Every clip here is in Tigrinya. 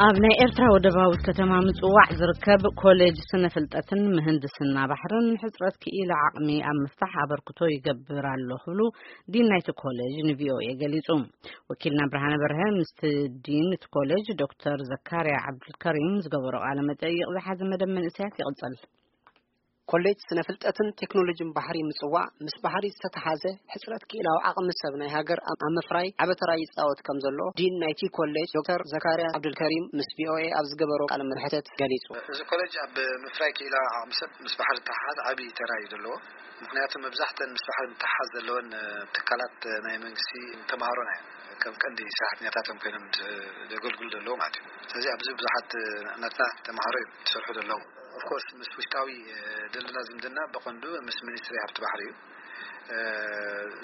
ኣብ ናይ ኤርትራ ወደባዊት ከተማ ምጽዋዕ ዝርከብ ኮሌጅ ስነ ፍልጠትን ምህንድስና ባሕርን ሕጽረት ክኢላ ዓቕሚ ኣብ ምፍታሕ ኣበርክቶ ይገብር ኣሎ ክብሉ ዲን ናይቲ ኮሌጅ ንቪኦኤ ገሊጹ። ወኪልና ብርሃነ በርሀ ምስቲ ዲን እቲ ኮሌጅ ዶክተር ዘካርያ ዓብዱልከሪም ዝገበሮ ቃለ መጠይቕ ዝሓዘ መደብ መንእሰያት ይቕጽል። ኮሌጅ ስነ ፍልጠትን ቴክኖሎጂን ባሕሪ ምጽዋዕ ምስ ባሕሪ ዝተተሓዘ ሕጽረት ክኢላዊ ዓቕሚ ሰብ ናይ ሃገር ኣብ ኣብ ምፍራይ ዓቢ ተራ ይጻወት ከም ዘሎ ዲን ናይቲ ኮሌጅ ዶክተር ዘካርያ ዓብዱልከሪም ምስ ቪኦኤ ኣብ ዝገበሮ ቃለ መሕተት ገሊጹ። እዚ ኮሌጅ ኣብ ምፍራይ ክኢላዊ ዓቕሚ ሰብ ምስ ባሕሪ ዝተሓሓዝ ዓቢ ተራ እዩ ዘለዎ። ምክንያቱ መብዛሕተን ምስ ባሕሪ ምትሓሓዝ ዘለወን ትካላት ናይ መንግስቲ ተምሃሮና እዮም ከም ቀንዲ ሰራሕተኛታቶም ኮይኖም ዘገልግሉ ዘለዉ ማለት እዩ። ስለዚ ኣብዚ ብዙሓት ናትና ተምሃሮ እዮም ዝሰርሑ ዘለዉ። ኦፍኮርስ ምስ ውሽጣዊ ዘለና ዝምድና ብቐንዱ ምስ ሚኒስትሪ ሃብቲ ባሕሪ እዩ።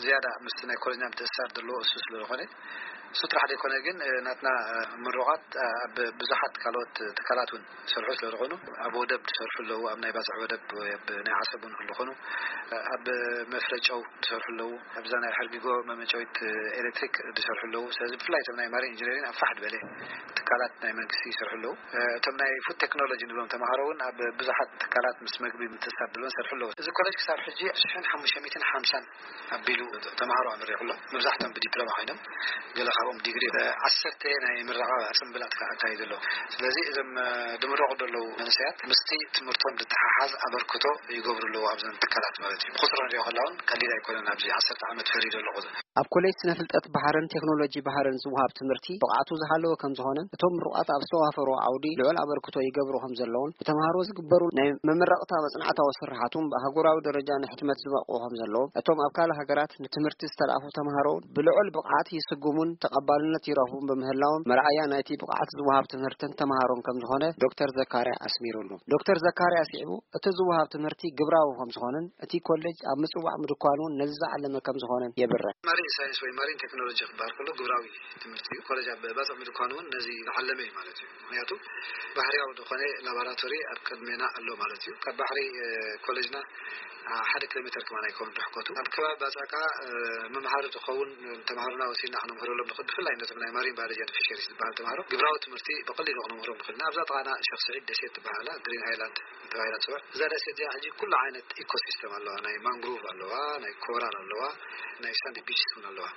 ዝያዳ ምስ ናይ ኮሌጅና ምትእስሳር ዘለዎ እሱ ስለ ዝኾነ፣ እሱ ጥራሕ ዘይኮነ ግን ናትና ምሩቓት ኣብ ብዙሓት ካልኦት ትካላት እውን ዝሰርሑ ስለ ዝኾኑ፣ ኣብ ወደብ ዝሰርሑ ኣለዉ፣ ኣብ ናይ ባጽዕ ወደብ ወይ ኣብ ናይ ዓሰብ እውን ክኾኑ፣ ኣብ መፍረ ጨው ዝሰርሑ ኣለዉ፣ ኣብዛ ናይ ሕርጊጎ መመጨዊት ኤሌክትሪክ ዝሰርሑ ኣለዉ። ስለዚ ብፍላይ እቶም ናይ ማሪን ኢንጂነሪንግ ኣብ ፋሕ ዝበለ ትካላት ናይ መንግስቲ ይሰርሑ ኣለዉ። እቶም ናይ ፉድ ቴክኖሎጂ ንብሎም ተምሃሮ እውን ኣብ ብዙሓት ትካላት ምስ መግቢ ምትእስሳር ዘለዎም ይሰርሑ ኣለዉ። እዚ ኮሌጅ ክሳብ ሕጂ ሽሕን ሓሙሽተ ሚእትን ሓምሳን ኣቢሉ ተምሃሮ ኣመሪቑ ኣሎ። መብዛሕትኦም ብዲፕሎማ ኮይኖም፣ ገለ ካብኦም ዲግሪ፣ ዓሰርተ ናይ ምረቓ ጽምብላት ከዓ ኣካይዱ ኣሎ። ስለዚ እዞም ዝምረቑ ዘለዉ መንእሰያት ምስቲ ትምህርቶም ዝተሓሓዝ ኣበርክቶ ይገብሩ ኣለዉ ኣብዘን ትካላት ማለት እዩ። ብቁጽሪ ንሪኦ ከላ እውን ቀሊል ኣይኮነን። ኣብዚ ዓሰርተ ዓመት ፈሪዱ ኣሎ ቁጽሪ። ኣብ ኮሌጅ ስነ ፍልጠት ባሕርን ቴክኖሎጂ ባሕርን ዝወሃብ ትምህርቲ ብቕዓቱ ዝሃለወ ከም ዝኾነን እቶም ምሩቓት ኣብ ዝተዋፈሮ ዓውዲ ልዑል ኣበርክቶ ይገብሩ ከም ዘለውን ብተምሃሮ ዝግበሩ ናይ መመረቕታ መጽናዕታዊ ስርሓት እውን ብኣህጉራዊ ደረጃ ንሕትመት ዝበቕዑ ከም ዘለዎም እቶም ኣብ ካልእ ሃገራት ንትምህርቲ ዝተላእኩ ተምሃሮ እውን ብልዑል ብቕዓት ይስጉሙን ተቐባልነት ይረኽቡን ብምህላዎም መርኣያ ናይቲ ብቕዓት ዝወሃብ ትምህርትን ተምሃሮን ከም ዝኾነ ዶክተር ዘካርያ ኣስሚሩሉ። ዶክተር ዘካርያ ኣስዒቡ እቲ ዝወሃብ ትምህርቲ ግብራዊ ከም ዝኾነን እቲ ኮሌጅ ኣብ ምጽዋዕ ምድኳን እውን ነዚ ዝዓለመ ከም ዝኾነን የብርህ። ማሪን ሳይንስ ወይ ማሪን ቴክኖሎጂ ክበሃል ከሎ ግብራዊ ትምህርቲ እዩ። ኮሌጅ ኣብ ባጽዕ ምድኳን እውን ነዚ ዝዓለመ እዩ ማለት እዩ። ምክንያቱ ባህርያዊ ዝኾነ ላቦራቶሪ ኣብ ቅድሜና ኣሎ ማለት እዩ። ካብ ባሕሪ ኮሌጅና ሓደ ኪሎ ሜተር ከማን ኣይከውን ርሕቀቱ። ኣብ ከባቢ ባጽዕ ከዓ መምሃሪ ዝኸውን ተምሃሮና ወሲድና ክነምህረሎም ንኽእል። ብፍላይ ነቶም ናይ ማሪን ባዮሎጂ ፊሸሪስ ዝበሃል ተምሃሮ ግብራዊ ትምህርቲ ብቐሊሉ ክነምህሮም ንኽእል ኢና። ኣብዛ ጥቓና ሸኽ ስዒድ ደሴት ትበሃል ኣላ፣ ግሪን ኣይላንድ ተባሂላ ትፅዋዕ። እዛ ደሴት እዚኣ ሕጂ ኩሉ ዓይነት ኢኮሲስተም ኣለዋ። ናይ ማንግሩቭ ኣለዋ፣ ናይ ኮራል ኣለዋ፣ ናይ ሳንድ ቢችስ እውን ኣለዋ።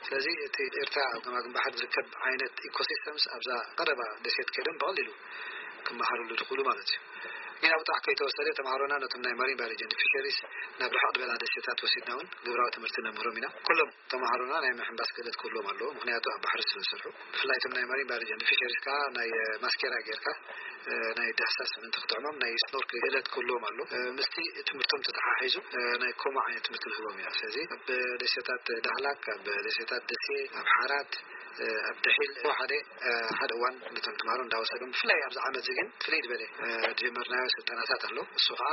ስለዚ እቲ ኤርትራ ኣብ ገማግም ባሕሪ ዝርከብ ዓይነት ኢኮሲስተምስ ኣብዛ ቀረባ ደሴት ከይዶም ብቐሊሉ ክመሃርሉ ዝኽእሉ ማለት እዩ። ግን ኣብ ጥራሕ ከይተወሰደ ተምሃሮና ነቶም ናይ ማሪን ባዮሎጂ ፊሸሪስ ናብ ርሕቕ ዝበላ ደሴታት ወሲድና እውን ግብራዊ ትምህርቲ ነምህሮም ኢና። ኩሎም ተምሃሮና ናይ ምሕንባስ ክእለት ክህልዎም ኣለዎ፣ ምክንያቱ ኣብ ባሕሪ ስለ ዝሰርሑ። ብፍላይ እቶም ናይ ማሪን ባዮሎጂ ፊሸሪስ ከዓ ናይ ማስኬራ ጌርካ ናይ ዳህሳስ ምእንቲ ክጥዕሞም ናይ ስኖርክ ክእለት ክህልዎም ኣሎ። ምስቲ ትምህርቶም ተተሓሒዙ ናይ ኮማ ዓይነት ትምህርቲ ንህቦም ኢና። ስለዚ ኣብ ደሴታት ዳህላክ፣ ኣብ ደሴታት ደሴ፣ ኣብ ሓራት፣ ኣብ ደሒል ሓደ ሓደ እዋን ነቶም ተምሃሮ እንዳወሰዶም፣ ብፍላይ ኣብዚ ዓመት እዚ ግን ፍልይ ዝበለ ዝጀመርናዮ ስልጠናታት ኣሎ። እሱ ከዓ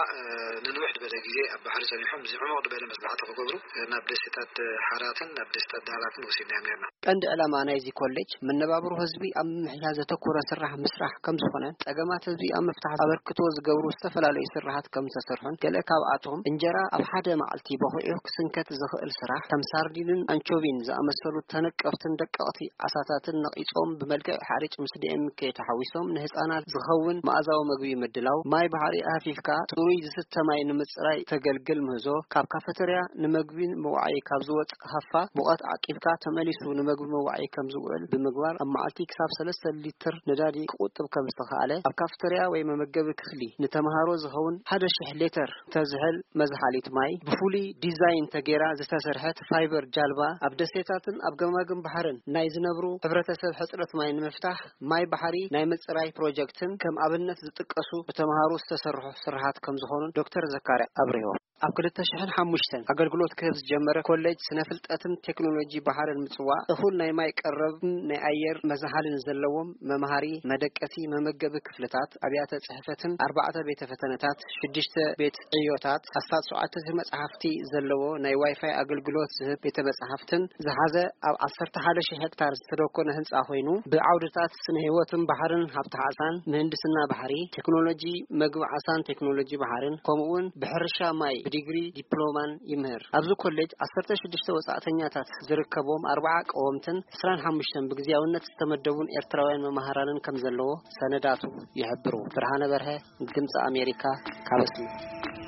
ንንውሕ ዝበለ ግዜ ኣብ ባሕሪ ጸኒሖም እዚ ዕሙቕ ዝበለ መጽናዕቲ ክገብሩ ናብ ደሴታት ሓራትን ናብ ደሴታት ዳህላክን ወሲድናዮም ነርና። ቀንዲ ዕላማ ናይዚ ኮሌጅ መነባብሮ ህዝቢ ኣብ ምምሕያሽ ዘተኮረ ስራሕ ምስራሕ ከም ዝኾነን ጸገማት ህዝቢ ኣብ ምፍታሕ ኣበርክቶ ዝገብሩ ዝተፈላለዩ ስራሓት ከም ዝተሰርሑን ገለ ካብኣቶም እንጀራ ኣብ ሓደ መዓልቲ በኺዑ ክስንከት ዝኽእል ስራሕ ከም ሳርዲንን ኣንቾቪን ዝኣመሰሉ ተነቀፍትን ደቀቕቲ ዓሳታትን ነቒጾም ብመልክዕ ሓሪጭ ምስ ዲኤምኬ ተሓዊሶም ንህፃናት ዝኸውን መኣዛዊ መግቢ ምድላው፣ ማይ ባሕሪ ሃፊፍካ ጽሩይ ዝስተ ማይ ንምጽራይ ተገልግል ምህዞ፣ ካብ ካፈተርያ ንመግቢ መዋዓዪ ካብ ዝወጽእ ሃፋ ሙቐት ዓቂብካ ተመሊሱ ንመግቢ መዋዓዪ ከም ዝውዕል ብምግባር ኣብ መዓልቲ ክሳብ ሰለስተ ሊትር ነዳዲ ክቑጥብ ከም ዝተኻእለ ኣብ ካፈተርያ ወይ መመገቢ ክፍሊ ንተምሃሮ ዝኸውን ሓደ ሽሕ ሊትር ተዝሕል መዝሓሊት ማይ ብፍሉይ ዲዛይን ተገይራ ዝተሰርሐት ፋይበር ጃልባ ኣብ ደሴታትን ኣብ ገማግም ባሕርን ናይ ዝነብሩ ሕብረተሰብ ሕጽረት ማይ ንምፍታሕ ማይ ባሕሪ ናይ ምጽራይ ፕሮጀክትን ከም ኣብነት ዝጥቀሱ ብተምሃሮ ዝተሰርሑ ስራሓት ከም ዝኾኑን ዶክተር ዘካርያ ኣብሪሆም። ኣብ ክልተ ሽሕን ሓሙሽተን ኣገልግሎት ክህብ ዝጀመረ ኮሌጅ ስነ ፍልጠትን ቴክኖሎጂ ባሕርን ምጽዋዕ እኹል ናይ ማይ ቀረብን ናይ ኣየር መዝሓልን ዘለዎም መምሃሪ፣ መደቀሲ፣ መመገቢ ክፍልታት፣ ኣብያተ ጽሕፈትን ኣርባዕተ ቤተ ፈተነታት፣ ሽዱሽተ ቤት ዕዮታት፣ ኣስታት ሸውዓተ ሺህ መጽሓፍቲ ዘለዎ ናይ ዋይፋይ ኣገልግሎት ዝህብ ቤተ መጽሓፍትን ዝሓዘ ኣብ ዓሰርተ ሓደ ሺህ ሄክታር ዝተደኮነ ህንጻ ኮይኑ ብዓውድታት ስነ ህይወትን ባሕርን፣ ሃብቲ ዓሳን፣ ምህንድስና ባሕሪ፣ ቴክኖሎጂ መግቢ ዓሳን ቴክኖሎጂ ባሕርን ከምኡ እውን ብሕርሻ ማይ ብዲግሪ ዲፕሎማን ይምህር። ኣብዚ ኮሌጅ ዓሰርተ ሽዱሽተ ወጻእተኛታት ዝርከብዎም ኣርባዓ ቀወምትን ዕስራን ሓሙሽተን ብግዜያውነት ዝተመደቡን ኤርትራውያን መማህራንን ከም ዘለዎ ሰነዳቱ ይሕብሩ። ብርሃነ በርሀ፣ ድምፂ ኣሜሪካ፣ ካብ ኣስመራ።